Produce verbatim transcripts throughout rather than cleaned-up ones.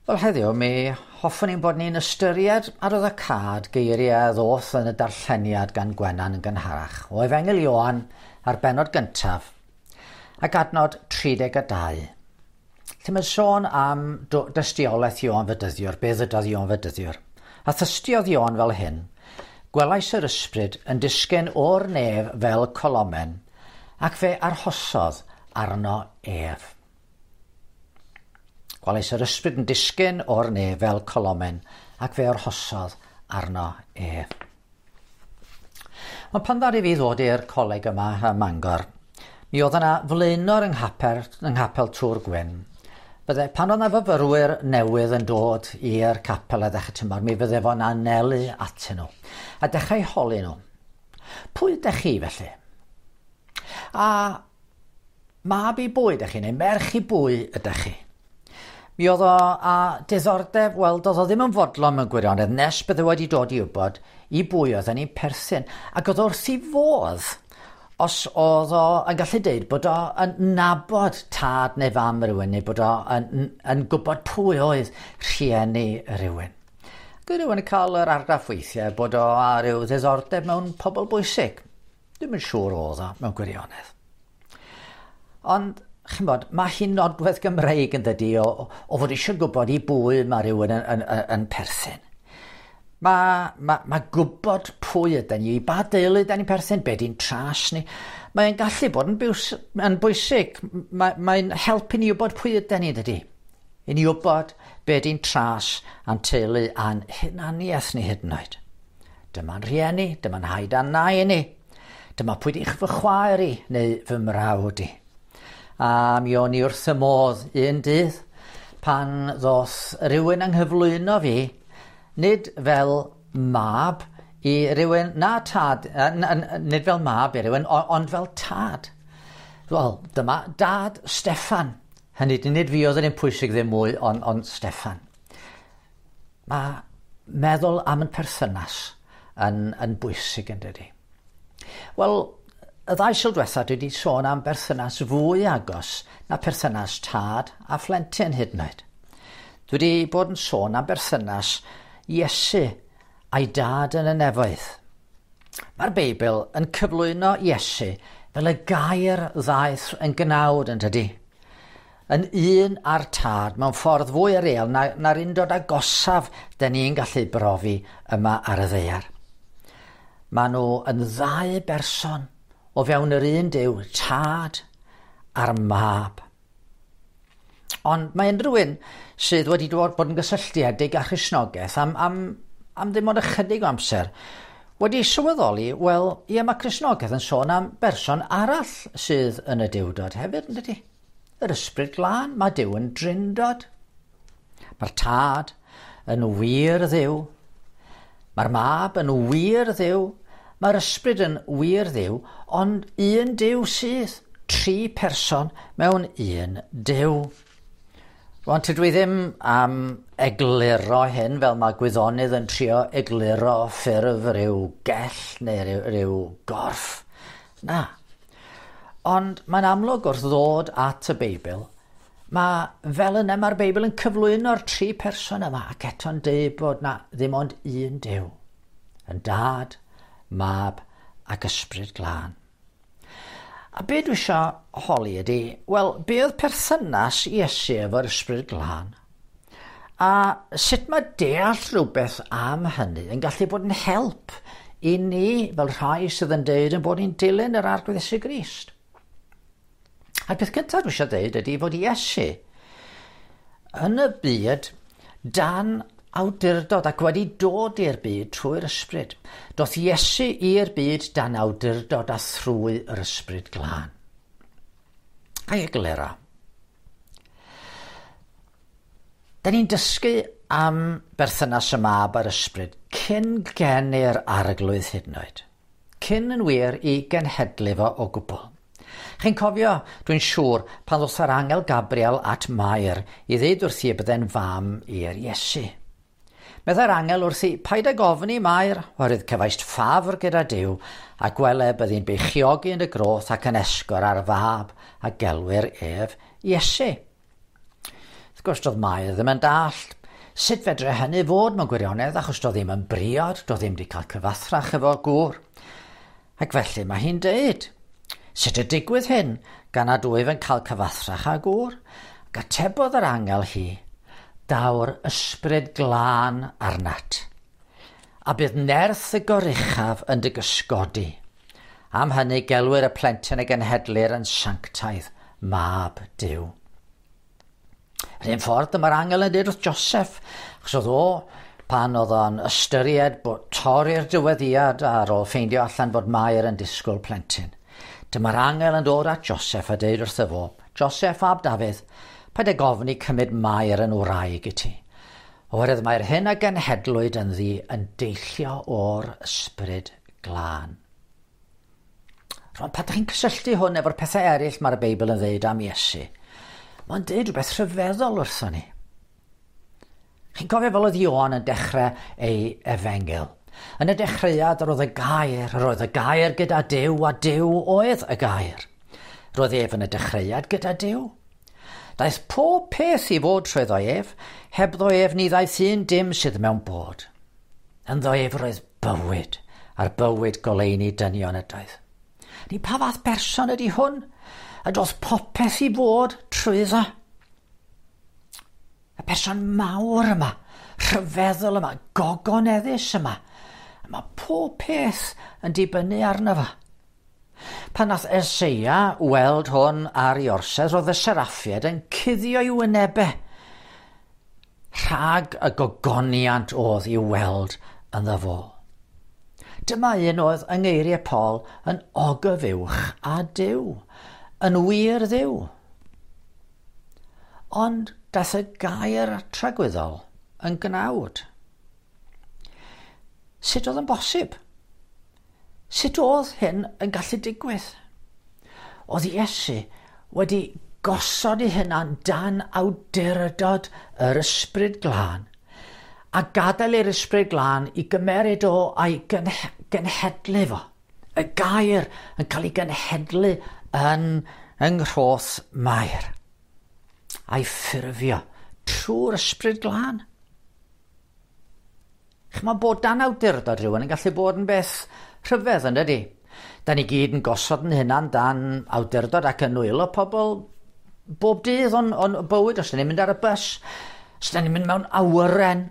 Wel heddiw mi hoffwn i'n bod ni'n ystyried arwyddocâd geiriau ddoth yn y darlleniad gan Gwenan yn gynharach o Efengyl Ioan ar bennod gyntaf ac adnod tri deg a dau. Lle mae'n sôn am dystiolaeth Ioan Fedyddiwr, be ddydodd Ioan Fedyddiwr. A thystiodd Ioan fel hyn: gwelais yr ysbryd yn disgyn o'r nef fel colomen, ac fe arhosodd arno ef. Gwelais yr ysbryd yn disgyn o'r nef fel colomen, ac fe arhosodd arno ef. Ond pan ddaru fi ddod i'r coleg yma ym Mangor, mi oedd yna flaenor yng nghapel, yng nghapel Tŵr Gwyn. Bydde, pan oedd yna fyfyrwyr newydd yn dod i'r capel a ddechrau tymor, mi fydde fo'n anelu atyn nhw a dechrau holi nhw. Pwy ydych chi felly? A mab i bwy ydych chi, neu merch i bwy ydych chi? Mi oedd o a diddordeb, wel, doedd o ddim yn fodlon mewn gwirionedd, nes bydde wedi dod i wybod i bwy oedd yn ei perthyn. Ac oedd wrth ei fodd, os oedd o yn gallu deud bod o yn nabod tad neu fam rhywun, neu bod o yn, yn gwybod pwy oedd rhieni rhywun. Ac oedd rhywun yn cael yr argraff weithiau bod o a ryw ddiddordeb mewn pobl bwysig. Dwi'm yn siŵr oedd o mewn gwirionedd. Ond ch'mod, mae hi'n nodwedd Gymreig yn dydi o, o fod eisiau gwybod i bwy mae rhywun yn, yn, yn, yn perthyn. Mae, mae, mae gwybod pwy ydyn ni, i ba deulu ydyn ni'n perthyn, be di'n tras ni. Mae'n gallu bod yn, biws, yn bwysig. Mae, mae'n helpu ni wybod pwy ydyn ni, dydi. I ni wybod be di'n tras a'n teulu a'n hunaniaeth ni hyd yn oed. Dyma'n rhieni, dyma'n haid a'n nai ni. Dyma pwy di'ch fy chwaer i neu fy mrawd i. A mi o'n i wrth y modd un dydd pan ddoth rhywun anghyflwyno fi, nid fel mab i rywun, na tad, nid fel mab i rywun, ond fel tad. Wel, dyma dad Steffan. Hynny, nid fi oedd yn un pwysig ddim mwy, ond, ond Steffan. Mae meddwl am yn perthynas yn, yn bwysig yn dydi. Wel, y ddau Sul diwetha dwi wedi sôn am berthynas fwy agos na perthynas tad a phlentyn hyd yn oed. Dwi wedi bod yn sôn am berthynas Iesu a'i dad yn y nefoedd. Mae'r Beibl yn cyflwyno Iesu fel y gair ddaeth yn gnawd yn dydi. Yn un â'r tad mewn ffordd fwy real na, na'r undod agosaf dyn ni'n gallu brofi yma ar y ddaear. Maen nhw yn ddau berson o fewn yr un Duw, tad a'r mab. Ond mae unrhyw un sydd wedi dod bod yn gysylltiedig â Christnogaeth am, am, am ddim ond ychydig o amser wedi sylweddoli, wel, ie, mae Cristnogaeth yn sôn am berson arall sydd yn y Duwdod hefyd, yn dydi? Yr Ysbryd Glân, mae Duw yn drindod. Mae'r tad yn wir Dduw. Mae'r mab yn wir Dduw. Mae'r ysbryd yn wir Dduw, ond un Duw sydd, tri person mewn un Duw. Rwan, tydw i ddim am egluro hyn fel mae gwyddonydd yn trio egluro ffurf rhyw gell neu rhyw, rhyw gorff. Na. Ond mae'n amlwg wrth ddod at y Beibl, mae fel yna mae'r Beibl yn cyflwyno'r tri person yma ac eto'n deud bod na ddim ond un Duw, yn dad, mab ac Ysbryd Glân. A be dwi eisiau holi ydy, wel, be oedd perthynas Iesu efo'r Ysbryd Glân? A sut mae deall rhywbeth am hynny yn gallu bod yn help i ni fel rhai sydd yn deud yn bod ni'n dilyn yr Arglwydd Iesu Grist? A'r peth cyntaf dwi eisiau deud ydy fod Iesu yn y byd dan awdurdod ac wedi dod i'r byd trwy'r ysbryd. Doth Iesu i'r byd dan awdurdod a thrwy yr Ysbryd Glân. A'i egluro. Da ni'n dysgu am berthynas y mab a'r ysbryd cyn geni'r Arglwydd hyd yn oed. Cyn yn wir i genhedlu fo o gwbl. Chi'n cofio, dwi'n siŵr, pan ddoth yr angel Gabriel at Mair i ddeud wrthi y bydde'n fam i'r Iesu. Meddai'r angel wrthi, paid ag ofni Mair, oherwydd cefaist ffafr gyda Duw, a gwele byddi'n beichiogi yn y groth ac yn esgor ar fab a gelwir ef Iesu. Wrth Wrth gwrs, doedd Mair ddim yn dallt sut fedre hynny fod mewn gwirionedd, achos doedd ddim yn briod, doedd ddim wedi cael cyfathrach efo gŵr. Ac felly mae hi'n deud, sut y digwydd hyn gan nad wyf yn cael cyfathrach â gŵr? Ac atebodd yr angel hi, daw'r ysbryd glân arnat, a bydd nerth y goruchaf yn dy gysgodi. Am hynny gelwir y plentyn y genhedlir yn sanctaidd, mab Duw. Yr un ffordd dyma'r angel yn dweud wrth Joseph, achos oedd o pan oedd o'n ystyried bod torri'r dyweddiad ar ôl ffeindio allan bod Mair yn disgwyl plentyn. Dyma'r angel yn dod at Joseph a deud wrtho fo, Joseph ab Dafydd, paid ag ofni cymryd Mair yn wraig i ti, oherwydd mae'r hyn a genhedlwyd ynddi yn deillio o'r ysbryd glân. Rwan, pan ydych chi'n cysylltu hwn efo'r pethau eraill mae'r Beibl yn dweud am Iesu, mae'n dweud rhywbeth rhyfeddol wrthon ni. Chi'n cofio fel oedd Ioan yn dechrau ei efengyl. Yn y dechreuad yr oedd y gair, yr oedd y gair gyda Duw, a Duw oedd y gair. Roedd ef yn y dechreuad gyda Duw. Daeth pob peth i fod trwyddo ef, hebddo ef ni ddaeth un dim sydd mewn bod. Ynddo ef roedd bywyd, a'r bywyd goleuni dynion ydoedd. Ni pa fath berson ydy hwn? A doedd popeth i fod trwyddo. Y person mawr yma, rhyfeddol yma, gogoneddus yma. A mae pob peth yn dibynnu arno fo. Pan nath Eseia weld hwn ar ei orsedd, roedd y seraffiaid yn cuddio i'w wynebau rhag y gogoniant oedd i'w weld ynddo fo. Dyma un oedd yng ngeiriau Paul yn ogyfuwch a Duw, yn wir Dduw. Ond daeth y gair tragwyddol yn gnawd. Sut oedd yn bosib? Sut oedd hyn yn gallu digwydd? Oedd Iesu wedi gosod ei hunan dan awdurdod yr ysbryd glân a gadael i'r ysbryd glân i gymeryd o a'i genhedlu fo. Y gair yn cael ei genhedlu yn yng nghroth Mair a'i ffurfio trwy'r ysbryd glân. Ch'mod, bod dan awdurdod rhywun yn gallu bod yn beth rhyfedd, yn dydi? Da ni gyd yn gosod yn hunan dan awdurdod ac yn nwylo pobl bob dydd o'n, o'n bywyd. Os da ni'n mynd ar y bus, os da ni'n mynd mewn awyren,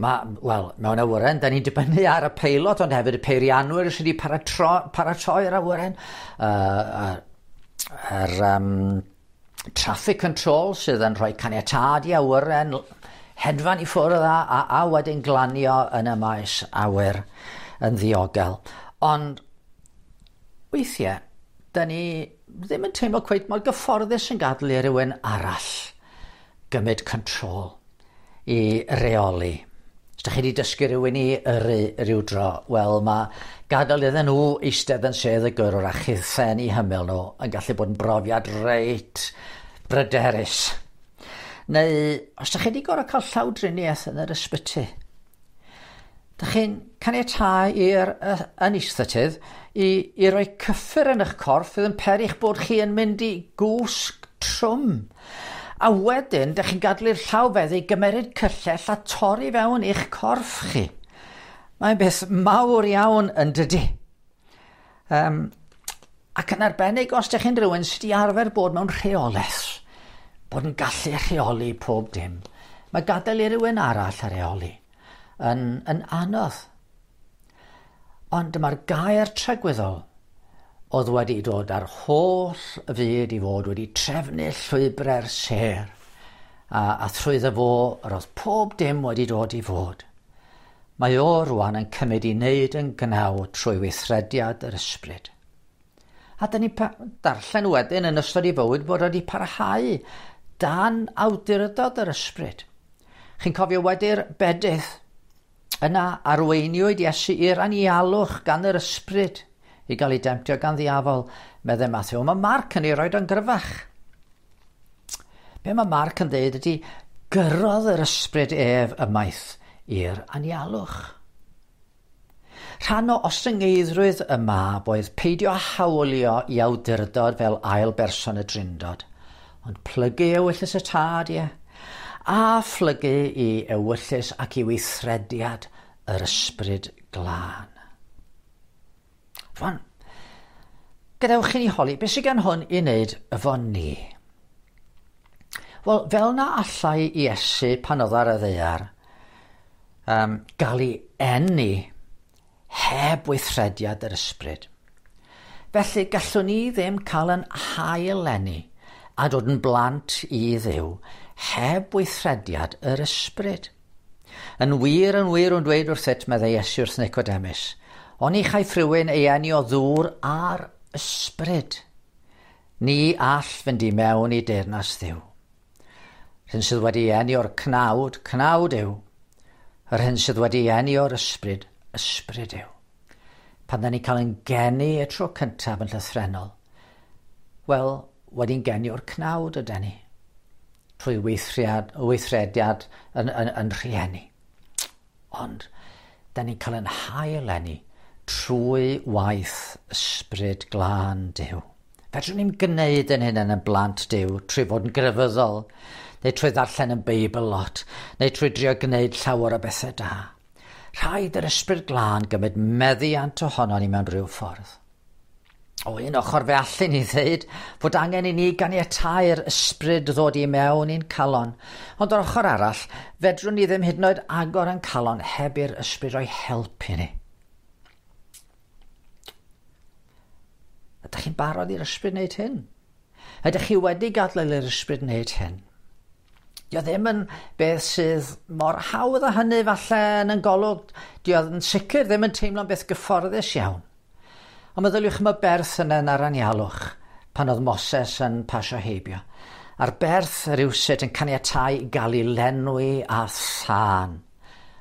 ma, wel, mewn awyren, da ni'n dibynnu ar y peilot, ond hefyd y peirianwyr sydd wedi paratoi'r awyren, uh, yr um, traffic control sydd yn rhoi caniatâd i awyren, hedfan i ffwrdd a, a, a wedyn glanio yn y maes awyr yn ddiogel. Ond weithiau, da ni ddim yn teimlo cweit mor gyfforddus yn gadael i rywun arall gymryd control i reoli. Os da chi wedi dysgu rhywun i yrru rhyw dro, wel, mae gadael iddyn nhw eistedd yn sedd y gyrrwr a chuthen i hymyl nhw yn gallu bod yn brofiad reit bryderus. Neu os da chi wedi gorfod cael llawdriniaeth yn yr ysbyty, da chi'n caniatáu i'r anaesthetydd i, i roi cyffur yn eich corff fydd yn peri eich bod chi yn mynd i gwsg trwm. A wedyn, da chi'n gadael i'r llawfeddyg gymeryd cyllell a torri fewn i'ch corff chi. Mae'n beth mawr iawn yn dydi. Um, ac yn arbennig os da chi'n rhywun sydd wedi arfer bod mewn rheolaeth, bod yn gallu rheoli pob dim. Mae gadael i rywun arall a rheoli yn, yn anodd. Ond dyma'r gair tragwyddol oedd wedi dod ar holl fyd i fod wedi trefnu llwybrau'r sêr, a, a thrwyddo fo yr oedd pob dim wedi dod i fod. Mae o rwan yn cymryd i wneud yn gnawd trwy weithrediad yr ysbryd. A dyn ni darllen wedyn yn ystod ei fywyd bod wedi parhau dan awdurdod yr ysbryd. Chi'n cofio wedi'r bedydd, yna arweiniwyd Iesu i'r anialwch gan yr ysbryd i gael ei demtio gan ddiafol, meddai Mathew. Mae Marc yn ei roed o'n gryfach. Be mae Marc yn dweud ydy, gyrrodd yr ysbryd ef ymaith i'r anialwch. Rhan o ostyngeiddrwydd y mab oedd peidio hawlio i awdurdod fel ail berson y drindod, ond plygu ewyllys y tad, ie, a phlygu i ewyllys ac i weithrediad yr Ysbryd Glân. Rwan, gadewch i ni holi, beth sydd gan hwn i wneud efo ni? Wel, fel na allai Iesu pan oedd ar y ddaear um, gael ei eni heb weithrediad yr ysbryd. Felly gallwn ni ddim cael yn hail eni a dod yn blant i Dduw heb weithrediad yr ysbryd. Yn wir, yn wir, yn dweud wrthyt, meddai Iesu wrth Nicodemus, oni chaiff rhywun ei eni o ddŵr a'r ysbryd. Ni all fynd i mewn i deyrnas Dduw. Yr hyn sydd wedi eni o'r cnawd, cnawd yw. Yr hyn sydd wedi eni o'r ysbryd, ysbryd yw. Pan da ni cael yn geni y tro cyntaf yn llythrennol, wel, wedi'n geni o'r cnawd ydy ni, trwy weithriad, weithrediad yn, yn, yn rhieni. Ond, da ni'n cael yn hail eni trwy waith Ysbryd Glân Duw. Fedrwn ni'n gwneud yn hyn yn blant Duw trwy fod yn grefyddol, neu trwy ddarllen yn Beibl lot, neu trwy drio gwneud llawer o bethau da. Rhaid yr Ysbryd Glân gymryd meddiant ohono ni mewn rhyw ffordd. O un ochr fe allen ni ddweud fod angen i ni ganiatáu'r ysbryd ddod i mewn i'n calon. Ond o'r ochr arall, fedrwn ni ddim hyd yn oed agor yn calon heb i'r ysbryd roi help i ni. Ydych chi'n barod i'r ysbryd wneud hyn? Ydych chi wedi gadael i'r ysbryd wneud hyn? Dio ddim yn beth sydd mor hawdd â hynny falle yn yn golwg. Dio yn sicr ddim yn teimlo'n beth gyfforddus iawn. Ond meddyliwch am y berth yna yn yr anialwch pan oedd Moses yn pasio heibio. A'r berth rywsut yn caniatáu i gael ei lenwi a thân.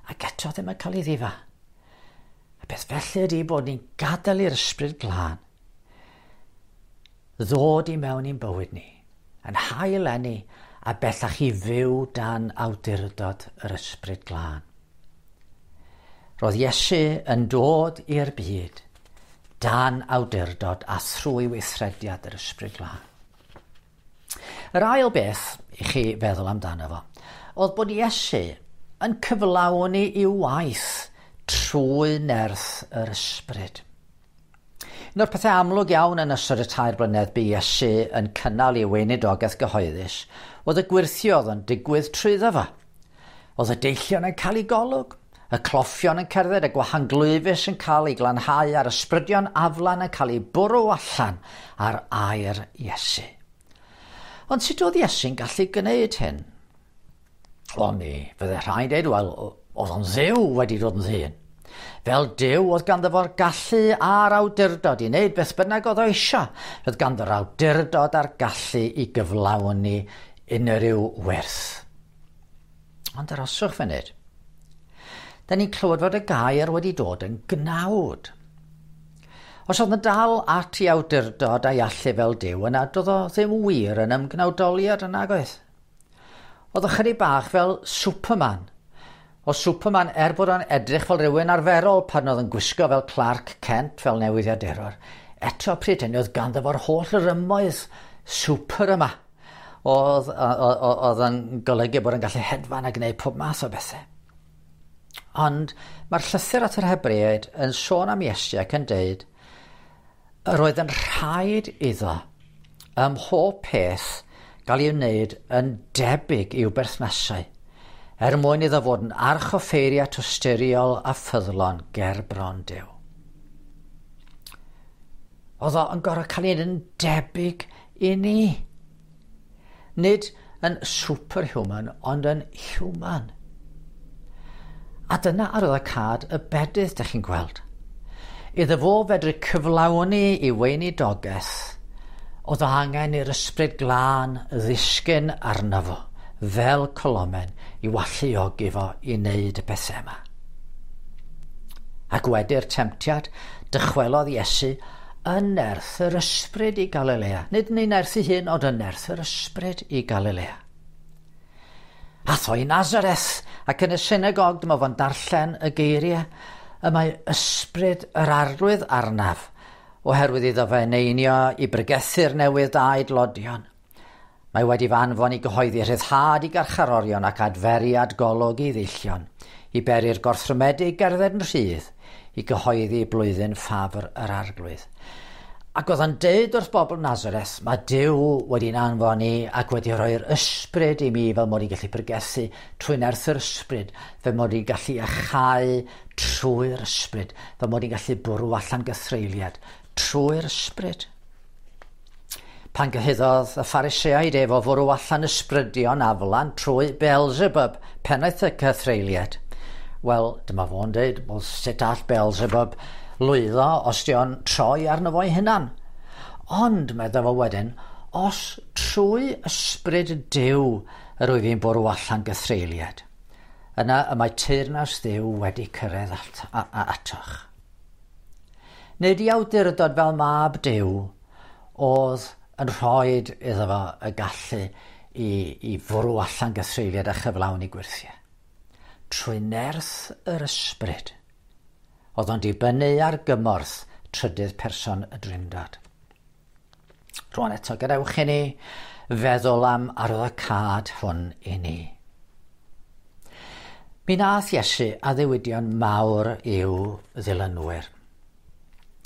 Ac eto ddim yn cael ei ddifa. A beth felly ydy bod ni'n gadael i'r Ysbryd Glân ddod i mewn i'n bywyd ni, yn hail eni a bellach i fyw dan awdurdod yr Ysbryd Glân. Roedd Iesu yn dod i'r byd dan awdurdod a thrwy weithrediad yr Ysbryd Glân. Yr ail beth i chi feddwl amdano fo, oedd bod Iesu yn cyflawni i'w waith trwy nerth yr Ysbryd. Un o'r pethau amlwg iawn yn ystod y tair blynedd bu Iesu yn cynnal ei weinidogaeth gyhoeddus oedd y gwyrthio oedd yn digwydd trwyddo fo. Oedd y deillion yn cael ei golwg, y cloffion yn cerdded, y gwahanglwyfus yn cael ei glanhau a'r ysbrydion aflan yn cael ei bwrw allan ar air Iesu. Ond sut oedd Iesu'n gallu gwneud hyn? O mi, fydde rhai'n dweud, wel, oedd o'n Dduw wedi dod yn ddyn. Fel Duw oedd ganddo fo'r gallu a'r awdurdod i wneud beth bynnag oedd o eisiau. Roedd ganddo'r awdurdod a'r gallu i gyflawni unrhyw werth. Ond aroswch funud. Da ni'n clywed fod y gair wedi dod yn gnawd. Os oedd yn dal at ei awdurdod a'i allu fel Duw, yna doedd o ddim wir yn ymgnawdoliad yn nagoedd. Oedd ychydig bach fel Superman. O Superman, er bod o'n edrych fel rhywun arferol pan oedd yn gwisgo fel Clark Kent fel newyddiadurwr, eto pryd hynny oedd ganddo fo'r holl rymoedd super yma. Oedd, oedd yn golygu bod yn gallu hedfan a gwneud pob math o bethau. Ond mae'r llythyr at yr Hebreaid yn sôn am Iesu ac yn deud yr oedd yn rhaid iddo ym mhob peth gael ei wneud yn debyg i'w berthnasau, er mwyn iddo fod yn archoffeiriad tosturiol a ffyddlon ger bron Duw. Oedd o yn gorfod cael ei wneud yn debyg i ni. Nid yn superhuman, ond yn human. A dyna arwyddocâd y bedydd, dych chi'n gweld. Iddo fo fedru cyflawni i weinidogaeth, oedd o angen i'r Ysbryd Glân ddisgyn arno fo, fel colomen, i walluogi fo i wneud y pethau yma. Ac wedi'r temtiad, dychwelodd Iesu yn nerth yr ysbryd i Galilea. Nid yn ei nerth ei hun, ond yn nerth yr ysbryd i Galilea. Ath o i Nazareth, ac yn y synagog dyma fo'n darllen y geiriau, y mae ysbryd yr Arglwydd arnaf, oherwydd iddo fe eneinio i bregethu'r newydd da i dlodion, Mae wedi fy anfon i gyhoeddi rhyddhad i garcharorion ac adferiad golwg i ddillion, i beri'r gorthrymedig gerdded yn rhydd, i gyhoeddi blwyddyn ffafr yr Arglwydd. Ac oedd o'n deud wrth bobl Nazareth, mae Duw wedi'n anfon i ac wedi rhoi'r ysbryd i mi fel mod i'n gallu pregethu trwy nerth yr ysbryd, fel mod i'n gallu iacháu trwy'r ysbryd, fel mod i'n gallu bwrw allan gythreuliad trwy'r ysbryd. Pan gyhuddodd y Phariseaid ef o fwrw allan ysbrydion aflan trwy Beelzebub, pennaeth y cythreuliad. Wel, dyma fo'n dweud, wel, sut all Beelzebub lwyddo os di o'n troi arno fo'i hunan? Ond, medda fo wedyn, os trwy ysbryd Duw yr wyf fi'n bwrw allan gythreuliad, yna y mae teyrnas Dduw wedi cyrraedd at, a, a, atoch. Nid i awdurdod fel mab Duw oedd yn rhoi iddo fo y gallu i, i fwrw allan gythreuliad a chyflawni gwyrthiau. Trwy nerth yr ysbryd, oedd o'n dibynnu ar gymorth trydydd person y Drindod. Rwan eto, gadewch i ni feddwl am arwyddocâd hwn i ni. Mi nath Iesu addewidion mawr i'w ddilynwyr.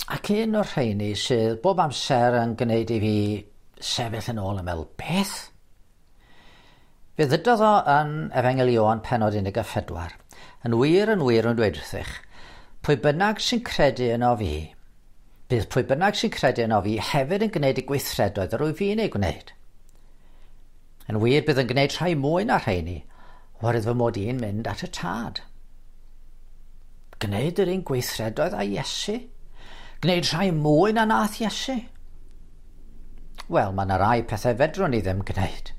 Ac un o'r rheini sydd bob amser yn gwneud i fi sefyll yn ôl yn meddwl, beth? Fe ddydodd o yn Efengyl Ioan pennod un deg pedwar. Yn wir, yn wir yn dweud wrthych, pwy bynnag sy'n credu yno fi, bydd pwy bynnag sy'n credu yno fi hefyd yn gwneud y gweithredoedd yr wyf fi'n ei gwneud. Yn wir, bydd yn gwneud rhai mwy na rheini, oherwydd fy mod i'n mynd at y Tad. Gwneud yr un gweithredoedd â Iesu? Gwneud rhai mwy na nath Iesu? Wel, mae yna rai pethau fedrwn ni ddim gwneud.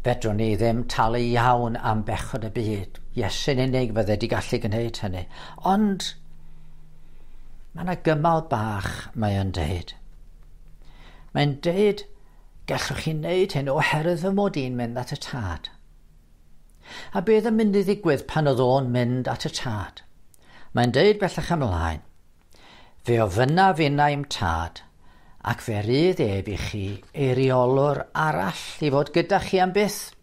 Fedrwn ni ddim talu iawn am bechod y byd. Iesu'n unig fydde di gallu gwneud hynny. Ond mae yna gymal bach mae o'n deud. Mae'n deud, gallwch chi wneud hyn oherwydd fy mod i'n mynd at y Tad. A beth yn mynd i ddigwydd pan oedd o'n mynd at y Tad? Mae'n deud bellach ymlaen, fe ofynnaf innau i'm Tad, ac fe rydd ef i chi eiriolwr arall i fod gyda chi am byth,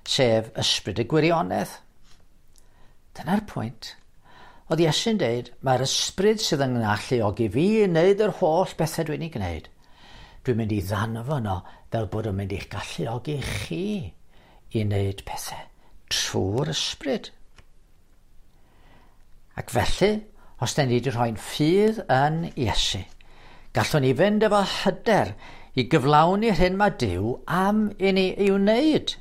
sef ysbryd y gwirionedd. Dyna'r pwynt. Oedd Iesu'n deud, mae'r ysbryd sydd yn galluogi fi i wneud yr holl bethau dwi'n ei gwneud. Dwi'n mynd i ddanfon o fel bod o'n mynd i'ch galluogi chi i wneud pethau trwy'r ysbryd. Ac felly, os da ni wedi rhoi'n ffydd yn Iesu, gallwn ni fynd efo hyder i gyflawni'r hyn mae Duw am i ni ei wneud.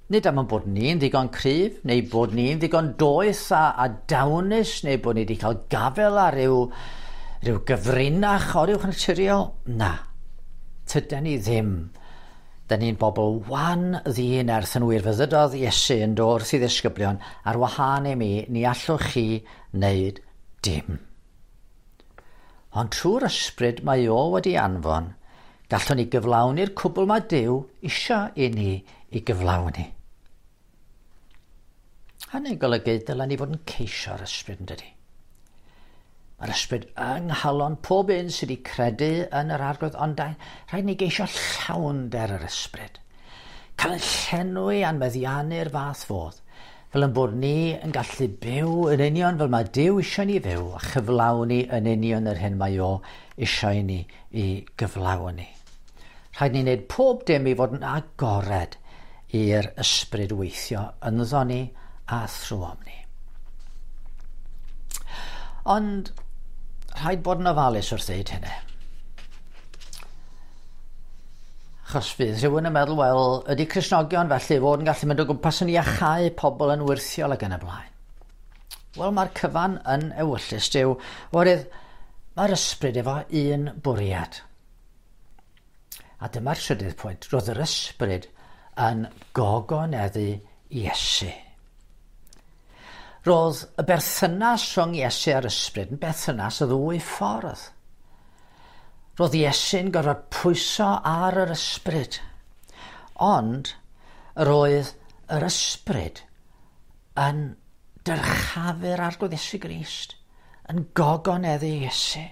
Nid am ein bod ni'n ddigon cryf, neu bod ni'n ddigon doeth a, a dawnus, neu bod ni wedi cael gafel ar ryw, ryw gyfrinach oruwchnaturiol. Na, tydan ni ddim. Da ni'n bobl wan ddinerth yn wir. Fe ddydodd Iesu yn dod wrth i ddisgyblion, ar wahân i mi, ni allwch chi wneud dim. Ond trwy'r ysbryd mae o wedi anfon, gallwn ni gyflawni'r cwbl mae Duw isio i ni i gyflawni. Hynny'n golygu dylen ni fod yn ceisio'r ysbryd, yn dydi? Mae'r ysbryd yng nghalon pob un sydd wedi credu yn yr Arglwydd, ond rhaid ni geisio llawnder yr ysbryd. Cael yn llenwi a'n meddiannu'r fath fodd, fel yn bod ni yn gallu byw yn union fel mae Duw eisiau ni fyw a chyflawni yn union yr hyn mae o eisiau ni i gyflawni. Rhaid ni wneud pob dim i fod yn agored i'r ysbryd weithio ynddo ni a thrwom ni. Ond rhaid bod yn ofalus wrth ddeud hynny. Achos fydd rhywun yn meddwl, wel, ydy Cristnogion felly fod yn gallu mynd o gwmpas yn iachau pobl yn wyrthiol ac yn y blaen. Wel, mae'r cyfan yn ewyllys Duw, oherwydd mae'r ysbryd efo un bwriad. A dyma'r trydydd pwynt, roedd yr ysbryd yn gogoneddu Iesu. Roedd y berthynas rhwng Iesu a'r ysbryd yn berthynas y ddwy ffordd. Roedd Iesu'n gorfod pwyso ar yr ysbryd, ond roedd yr ysbryd yn dyrchafu'r Arglwydd Iesu Grist, yn gogoneddu Iesu.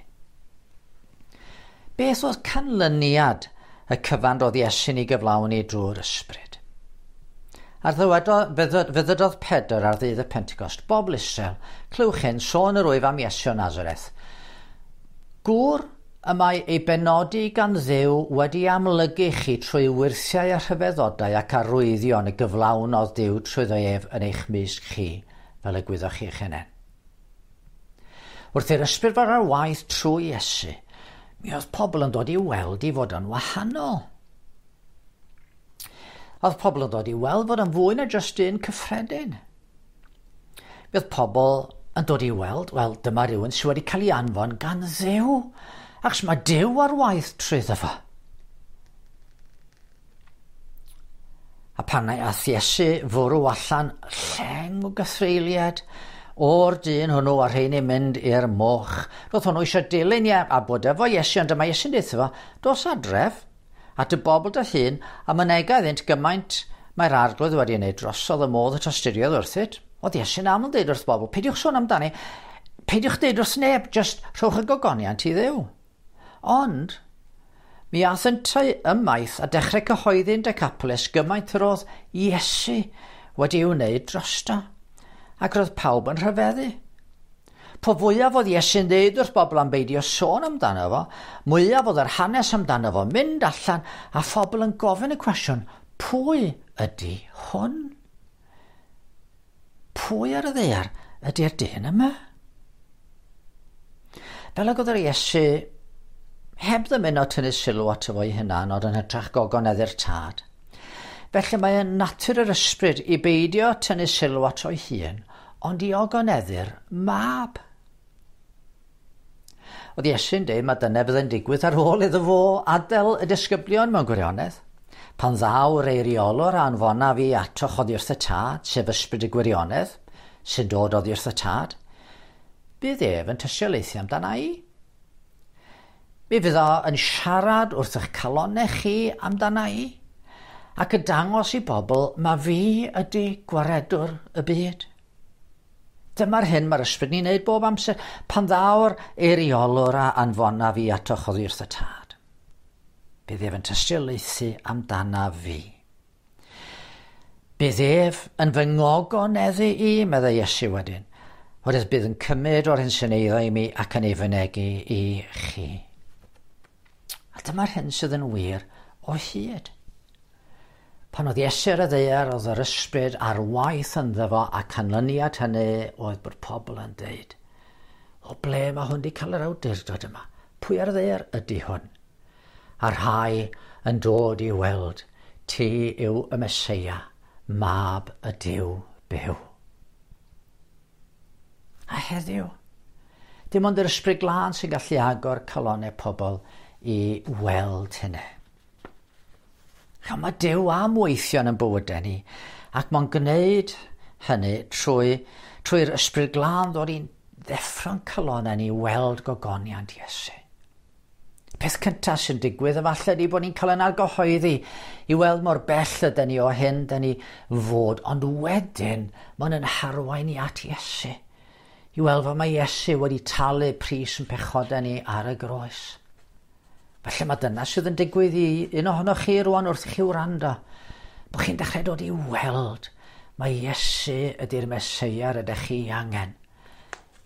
Beth oedd canlyniad y cyfan roedd Iesu'n ei gyflawni drwy'r ysbryd. A'r ddywedodd, fe ddydodd Pedr ar ddydd y Pentecost, bobl Israel, clywch hyn, sôn yr wyf am Iesu o Nazareth. Gŵr y mae ei benodi gan Dduw wedi amlygu chi trwy wyrthiau a rhyfeddodau ac arwyddion y gyflawnodd Duw trwyddo ef yn eich mysg chi, fel y gwyddoch chi eich hunain. Wrth i'r ysbryd fod ar waith trwy Iesu, mi oedd pobl yn dod i weld i fod yn wahanol. Oedd pobl yn dod i weld fod yn fwy na jyst un cyffredin. Mi oedd pobl yn dod i weld, wel, dyma rhywun sydd wedi cael ei anfon gan Dduw, achos mae Duw ar waith trwyddo fo. A pan aeth Iesu fwrw allan lleng o gythreuliad o'r dyn hwnnw a rheini'n mynd i'r moch. Roedd hwnnw eisiau dilyn ie, a bod efo Iesu, ond dyma Iesu'n deutha fo, dos adref at y bobl dy hun, a mynega iddynt gymaint mae'r arglwydd wedi wneud drosodd y modd y tosturiodd wrthyt. Oedd Iesu'n aml deud wrth bobl, peidiwch sôn amdani, peidiwch deud wrth neb, jyst rhowch y gogoniant i Dduw. Ond, mi ath yntau ymaith a dechrau cyhoeddi'n Decapolis gymaint yr oedd Iesu wedi ei wneud drosto, ac roedd pawb yn rhyfeddu. Po fwyaf oedd Iesu'n dweud wrth bobl am beidio sôn amdano fo, mwyaf oedd yr hanes amdano fo mynd allan a phobl yn gofyn y cwestiwn, pwy ydy hwn? Pwy ar y ddaear ydy'r dyn yma? Fel ag oedd yr Iesu heb ddymuno tynnu sylw ato fo'i hunan, ond yn hytrach gogoneddu'r tad. Felly mae yn natur yr ysbryd i beidio tynnu sylw ato ei hun, ond i ogoneddu'r mab. Oedd Iesu'n dweud mae dyna fydd yn digwydd ar ôl iddo fo adael y disgyblion mewn gwirionedd. Pan ddaw'r eiriolwr a anfona fi atoch oddi wrth y tad, sef ysbryd y gwirionedd, sy'n dod oddi wrth y tad, bydd ef yn tystiolaethu amdana i. Mi fydd o yn siarad wrth eich calonnau chi amdana i, ac yn dangos i bobl ma fi ydy gwaredwr y byd. Dyma'r hyn mae'r ysbryd ni'n neud bob amser, pan ddaw'r eiriolwr a anfona fi atoch oddi wrth y tad. Bydd ef yn tystiolaethu amdana fi. Bydd ef yn fy ngogoneddu i, meddai Iesu wedyn, oherwydd bydd yn cymryd o'r hyn sy'n eiddo i mi ac yn ei fynegi i chi. A dyma'r hyn sydd yn wir o hyd. Pan oedd Iesu ar y ddaear, oedd yr ysbryd ar waith ynddo fo, a canlyniad hynny oedd bod pobl yn deud, o ble mae hwn wedi cael yr awdurdod yma? Pwy ar y ddaear ydy hwn? A rhai yn dod i weld, ti yw y Meseia, mab y Duw byw. A heddiw, dim ond yr ysbryd glân sy'n gallu agor calonnau pobl i weld hynny. Ch'mo, mae Duw am weithio yn bywydau ni, ac mae'n gwneud hynny trwy, trwy'r ysbryd glân ddod i'n ddeffro'n calonnau ni weld gogoniant Iesu. Peth cyntaf sy'n digwydd efallai ydy bod ni'n cael yn argyhoeddi i weld mor bell ydyn ni o hyn dyn ni fod, ond wedyn mae'n yn harwain ni at Iesu. I weld fel mae Iesu wedi talu pris yn pechodau ni ar y groes. Felly mae dyna sydd yn digwydd i un ohonoch chi rwan wrth i chi wrando, bod chi'n dechrau dod i weld mae Iesu ydy'r Meseia ydych chi angen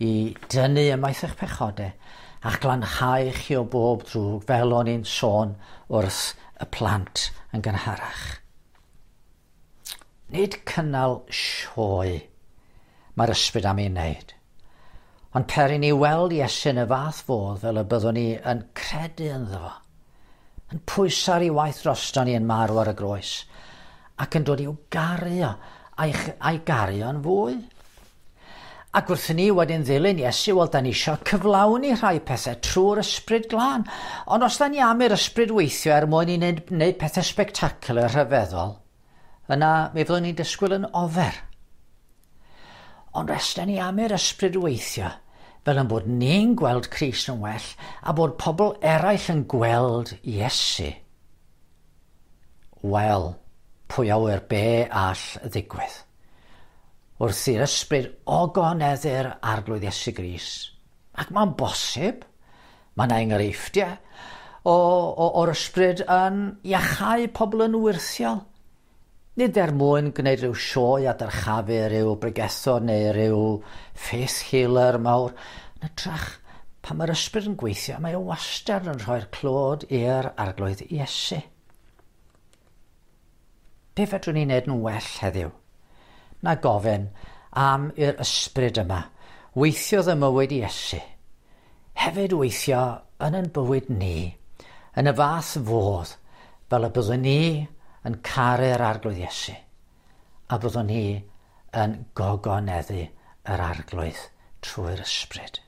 i dynnu ymaith eich pechodau a'ch glanhau chi o bob drwg, fel o'n i'n sôn wrth y plant yn gynharach. Nid cynnal sioe mae'r ysbryd am ei wneud, ond per i ni weld Iesu yn y fath fodd fel y byddwn ni yn credu ynddo fo, yn pwyso ar ei waith drosto ni yn marw ar y groes, ac yn dod i'w gario, a'i, a'i gario'n fwy. Ac wrth i ni wedyn ddilyn Iesu, wel, da ni eisiau cyflawni rhai pethau trwy'r ysbryd glân. Ond os da ni am i'r ysbryd weithio er mwyn i wneud, wneud pethau spectacular rhyfeddol, yna mi fyddwn ni'n disgwyl yn ofer. Ond os da ni am i'r ysbryd weithio, fel yn bod ni'n gweld Crist yn well, a bod pobl eraill yn gweld Iesu, wel, pwy a ŵyr be all ddigwydd? Wrth i'r ysbryd ogoneddu'r arglwydd Iesu Grist. Ac mae'n bosib, mae yna enghreifftiau o, o, o'r ysbryd yn iachau pobl yn wyrthiol. Nid er mwyn gwneud rhyw sioe a dyrchafu rhyw bregethwr neu rhyw faith healer mawr. Yn hytrach, pan mae'r ysbryd yn gweithio, mae o wastad yn rhoi'r clod i'r Arglwydd Iesu. Be fedrwn ni wneud yn well heddiw? Na gofyn am i'r ysbryd yma weithiodd ym mywyd Iesu. Hefyd weithio yn ein bywyd ni, yn y fath fodd, fel y byddwn ni yn caru'r Arglwydd Iesu, a byddwn ni yn gogoneddu yr Arglwydd trwy'r ysbryd.